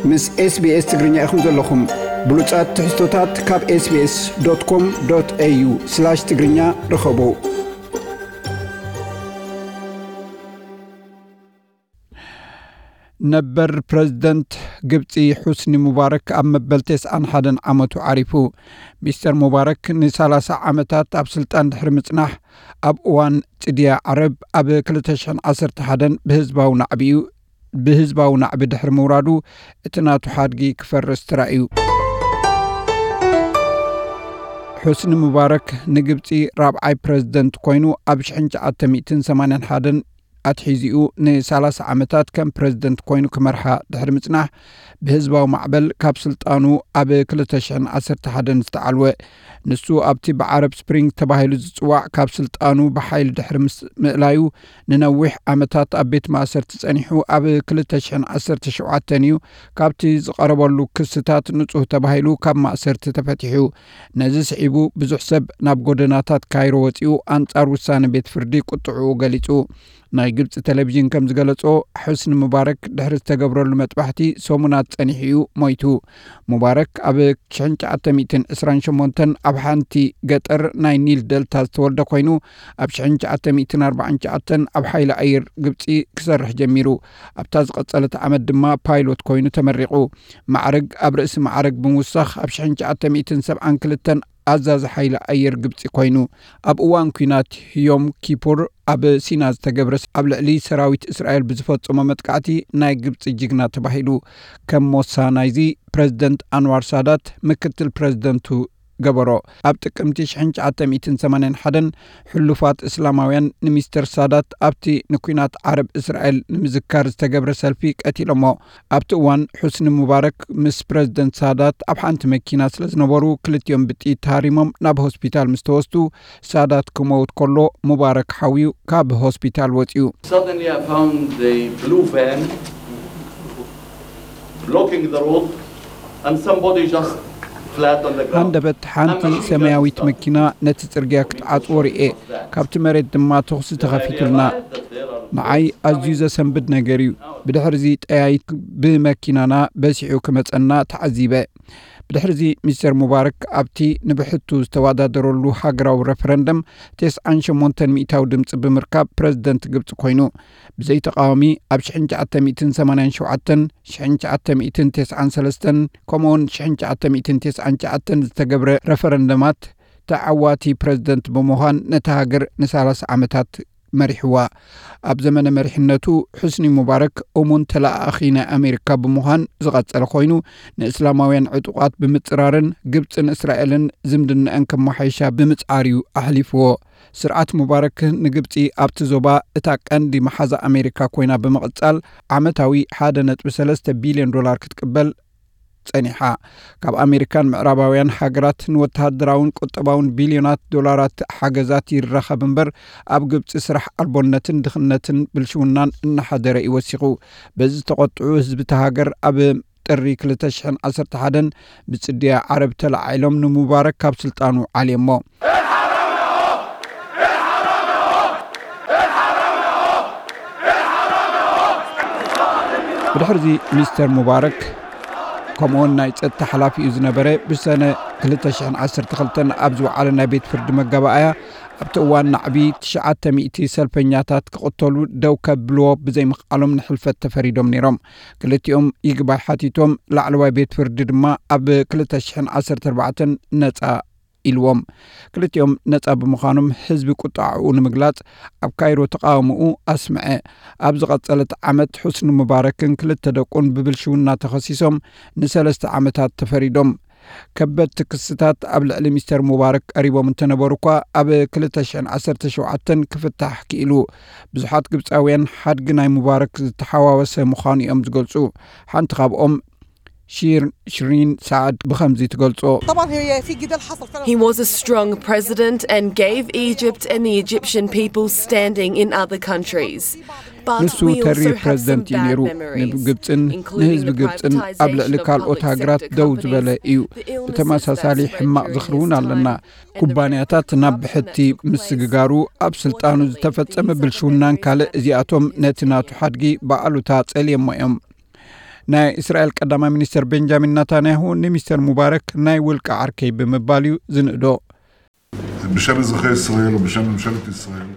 ምስ SBS ትግርኛ ኢኹም ዘለኹም። ብሉጻት ትሕዝቶታት ካብ SBS.com.au/ትግርኛ ርኸቡ። ነበር ፕረዚደንት ግብጺ ሑስኒ ሙባረክ ኣብ መበል ተስዓን ሓደን ዓመቱ ዓሪፉ። ሚስተር ሙባረክ ንሰላሳ ዓመታት ኣብ ስልጣን ድሕሪ ምጽናሕ፣ ኣብ እዋን ጽድያ ዓረብ ኣብ ክልተ ሽሕን ዓሰርተ ሓደን ብህዝባዊ ናዕቢኡ ብህዝባዊ ናዕቢ ድሕሪ ምውራዱ፣ እቲ ናቱ ሓድጊ ክፈርስ ተራእዩ። ሑስኒ ሙባረክ ንግብጺ ራብዓይ ፕረዚደንት ኮይኑ ኣብ ሽሕን ትሽዓተ ሚእትን ሰማንያን ሓደን ኣትሒዚኡ ንሰላሳ ዓመታት ከም ፕረዚደንት ኮይኑ ክመርሓ ድሕሪ ምጽናሕ፣ ብህዝባዊ ማዕበል ካብ ስልጣኑ ኣብ ክልተ ሽሕን ዓሰርተ ሓደን ዝተዓልወ። ንሱ ኣብቲ ብዓረብ ስፕሪንግ ተባሂሉ ዝጽዋዕ ካብ ስልጣኑ ብሓይሊ ድሕሪ ምስ ምእላዩ፣ ንነዊሕ ዓመታት ኣብ ቤት ማእሰርቲ ጸኒሑ፣ ኣብ ክልተ ሽሕን ዓሰርተ ሸውዓተን እዩ ካብቲ ዝቐረበሉ ክስታት ንጹህ ተባሂሉ ካብ ማእሰርቲ ተፈቲሑ። ነዚ ስዒቡ ብዙሕ ሰብ ናብ ጎደናታት ካይሮ ወጺኡ ኣንጻር ውሳነ ቤት ፍርዲ ቁጥዕኡ ገሊጹ። ናይ ግብጺ ቴሌቪዥን ከም ዝገለጾ፣ ሑስኒ ሙባረክ ድሕሪ ዝተገብረሉ መጥባሕቲ ሰሙናት ጸኒሑ እዩ ሞይቱ። ሙባረክ ኣብ ሽሕን ትሽዓተ ሚእትን ዕስራን ሸሞንተን ኣብ ሓንቲ ገጠር ናይ ኒል ደልታ ዝተወልደ ኮይኑ፣ ኣብ ሽሕን ትሽዓተ ሚእትን ኣርባዓን ትሽዓተን ኣብ ሓይሊ ኣየር ግብጺ ክሰርሕ ጀሚሩ። ኣብታ ዝቐጸለት ዓመት ድማ ፓይሎት ኮይኑ ተመሪቑ። ማዕረግ ኣብ ርእሲ ማዕረግ ብምውሳኽ ኣብ ሽሕን ትሽዓተ ሚእትን ሰብዓን ክልተን ኣዛዚ ሓይሊ ኣየር ግብጺ ኮይኑ። ኣብ እዋን ኲናት ዮም ኪፑር ኣብ ሲና ዝተገብረ፣ ኣብ ልዕሊ ሰራዊት እስራኤል ብዝፈጸሞ መጥቃዕቲ ናይ ግብጺ ጅግና ተባሂሉ። ከም ሞሳ ናይዚ፣ ፕረዚደንት ኣንዋር ሳዳት ምክትል ፕረዚደንቱ ገበሮ። ኣብ ጥቅምቲ ሽሕን ትሽዓተ ሚእትን ሰማንያን ሓደን ሕሉፋት እስላማውያን ንሚስተር ሳዳት ኣብቲ ንኲናት ዓረብ እስራኤል ንምዝካር ዝተገብረ ሰልፊ ቀቲሎሞ። ኣብቲ እዋን ሑስኒ ሙባረክ ምስ ፕረዚደንት ሳዳት ኣብ ሓንቲ መኪና ስለ ዝነበሩ፣ ክልቲኦም ብጥይት ተሃሪሞም ናብ ሆስፒታል ምስ ተወስዱ፣ ሳዳት ክመውት ከሎ ሙባረክ ሓውዩ ካብ ሆስፒታል ወጺኡ። Suddenly I found the blue van blocking the road and somebody just flat on the ground. ሃንደበት ሓንቲ ሰማያዊት መኪና ነቲ ጽርግያ ክትዓጽዎ ርእየ። ካብቲ መሬት ድማ ተኹሲ ተኸፊቱልና። ንዓይ ኣዝዩ ዘሰንብድ ነገር እዩ። ብድሕርዚ ጠያይት ብመኪናና በሲሑ ክመጸና ተዓዚበ። ብድሕርዚ ሚስተር ሙባረክ ኣብቲ ንብሕቱ ዝተወዳደረሉ ሃገራዊ ረፈረንደም ተስዓን ሸሞንተን ሚእታዊ ድምጺ ብምርካብ ፕረዚደንት ግብጺ ኮይኑ። ብዘይ ተቓዋሚ ኣብ ሽሕን ትሽዓተ ሚእትን ሰማንያን ሸውዓተን፣ ሽሕን ትሽዓተ ሚእትን ተስዓን ሰለስተን ከምኡውን ሽሕን ትሽዓተ ሚእትን ተስዓን ትሽዓተን ዝተገብረ ረፈረንደማት ተዓዋቲ ፕረዚደንት ብምዃን ነታ ሃገር ንሰላሳ ዓመታት መሪሕዋ። ኣብ ዘመነ መሪሕነቱ ሑስኒ ሙባረክ እሙን ተለኣኣኺ ናይ ኣሜሪካ ብምዃን ዝቐጸለ ኮይኑ፣ ንእስላማውያን ዕጡቓት ብምጽራርን ግብጽን እስራኤልን ዝምድናኣን ከመሓይሻ ብምጽዓር እዩ ኣሕሊፍዎ። ስርዓት ሙባረክ ንግብጺ ኣብቲ ዞባ እታ ቀንዲ መሓዛ ኣሜሪካ ኮይና ብምቕጻል፣ ዓመታዊ ሓደ ነጥቢ ሰለስተ ቢልዮን ዶላር ክትቅበል ጸኒሓ። ካብ ኣሜሪካን ምዕራባውያን ሃገራት ንወተሃደራውን ቁጠባውን ቢልዮናት ዶላራት ሓገዛት ይራኸብ እምበር፣ ኣብ ግብጺ ስራሕ ኣልቦነትን ድኽነትን ብልሽውናን እናሓደረ እዩ ወሲኹ። በዚ ዝተቖጥዑ ህዝቢ እታ ሃገር ኣብ ጥሪ ክልተ ሽሕን ዓሰርተ ሓደን ብጽድያ ዓረብ ተለዓዒሎም ንሙባረክ ካብ ስልጣኑ ዓልዮሞ። ብድሕርዚ ሚስተር ሙባረክ ከምኡውን ናይ ጸጥታ ሓላፊኡ ዝነበረ ብሰነ ክልተ ሽሕን ዓሰርተ ክልተን ኣብ ዝወዓለ ናይ ቤት ፍርዲ መጋባእያ፣ ኣብቲ እዋን ናዕቢ ትሽዓተ ሚእቲ ሰልፈኛታት ክቕተሉ ደው ከብልዎ ብዘይምኽኣሎም ንሕልፈት ተፈሪዶም ነይሮም። ክልቲኦም ይግባይ ሓቲቶም፣ ላዕለዋይ ቤት ፍርዲ ድማ ኣብ ክልተ ሽሕን ዓሰርተ ኣርባዕተን ነጻ ኢልዎም። ክልቲኦም ነጻ ብምዃኖም ህዝቢ ቁጥዓኡ ንምግላጽ ኣብ ካይሮ ተቓውሞኡ ኣስምዐ። ኣብ ዝቐጸለት ዓመት ሑስኒ ሙባረክን ክልተ ደቁን ብብልሽውና ተኸሲሶም ንሰለስተ ዓመታት ተፈሪዶም። ከበድቲ ክስታት ኣብ ልዕሊ ሚስተር ሙባረክ ቀሪቦም እንተነበሩ እኳ፣ ኣብ ክልተ ሽሕን ዓሰርተ ሸውዓተን ክፍታሕ ክኢሉ። ብዙሓት ግብጻውያን ሓድጊ ናይ ሙባረክ ዝተሓዋወሰ ምዃኑ እዮም ዝገልጹ። ሓንቲ ካብኦም፣ ሺር ሽሪን ሳዕድ ብኸምዚ ትገልጾ። طبعا هي في جدال حصل فعلا. He was a strong president and gave Egypt and the Egyptian people standing in other countries. But ንሱ we ተሪ also have some ፕረዚደንት እዩ bad ነይሩ። memories, ንግብጽን including ንህዝቢ the ግብጽን ኣብ ልዕሊ privatization of ካልኦት public ሃገራት sector ደው ዝበለ companies, እዩ። the illnesses ብተመሳሳሊ that ሕማቕ spread ዝኽሪ እውን during his ኣለና። Time, and the ኩባንያታት ናብ ብሕቲ ምስግጋሩ፣ ኣብ ስልጣኑ ዝተፈጸመ ብልሽውናን ካልእ፣ እዚኣቶም ነቲ ናቱ ሓድጊ ብኣሉታ ጸልየሞ እዮም። ናይ እስራኤል ቀዳማይ ሚኒስተር ቤንጃሚን ናታንያሁ ንሚስተር ሙባረክ ናይ ውልቂ ዓርከይ ብምባል እዩ ዝንእዶ። בשם אזרחי ישראל ובשם ממשלת ישראל.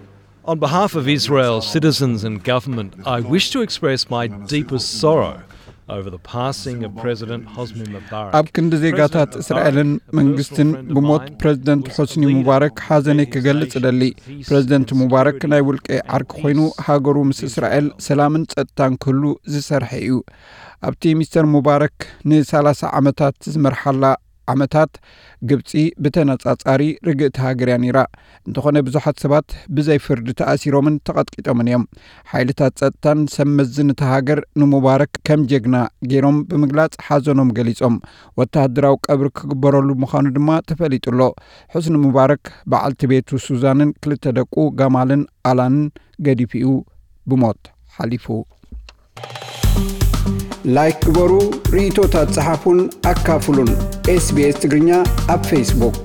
On behalf of Israel, citizens and government, I wish to express my deepest sorrow over the passing of President Hosni Mubarak. ኣብ ክንዲ ዜጋታት እስራኤልን መንግስትን ብሞት ፕሬዝደንት ሑስኒ ሙባረክ ሓዘነይ ክገልጽ እደሊ። ፕሬዝደንት ሙባረክ ናይ ውልቂ ዓርኪ ኮይኑ ሃገሩ ምስ እስራኤል ሰላምን ጸጥታን ክህሉ ዝሰርሐ እዩ። ኣብቲ ሚስተር ሙባረክ ን30 ዓመታት ዝመርሓላ ዓመታት ግብጺ ብተነጻጻሪ ርግእቲ ሃገር እያ ነይራ። እንተኾነ ብዙሓት ሰባት ብዘይ ፍርዲ ተኣሲሮምን ተቐጥቂጦምን እዮም። ሓይልታት ጸጥታን ሰብ መዚ ነታ ሃገር ንሙባረክ ከም ጀግና ገይሮም ብምግላጽ ሓዘኖም ገሊጾም። ወተሃደራዊ ቀብሪ ክግበረሉ ምዃኑ ድማ ተፈሊጡ ኣሎ። ሑስኒ ሙባረክ በዓልቲ ቤቱ ሱዛንን ክልተ ደቁ ጋማልን ኣላንን ገዲፉ እዩ ብሞት ሓሊፉ። ላይክ ግበሩ፣ ርእይቶታት ጸሓፉን ኣካፍሉን። ኤስቢኤስ ትግርኛ ኣብ ፌስቡክ።